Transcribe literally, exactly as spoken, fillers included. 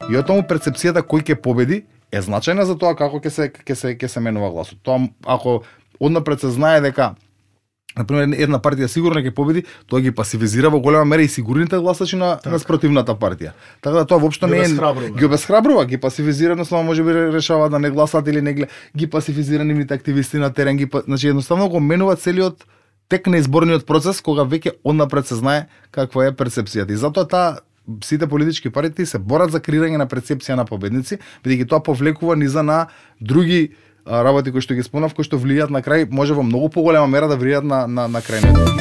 И од тому перцепцијата кој ќе победи е значајна за тоа како ќе се ќе се ќе се менува гласот. Тоа ако однапред се знае дека на пример една партија сигурно ќе победи, тоа ги пасивизира во голема мера и сигурните гласачи на така. на спротивната партија. Така да тоа воопшто не е ги обесхрабрува, ги пасивизира, едноставно можеби решава да не гласат или не ги пасивизира нивните активисти на терен, ги значи едноставно го менува целиот тек на изборниот процес кога веќе однапред се знае каква е перцепцијата. И затоа таа сите политички партии се борат за креирање на перцепција на победници, бидејќи тоа повлекува низа на други работи кои што ги спомнав, кои што влијаат на крај, може во многу поголема мера да влијаат на на на крајниот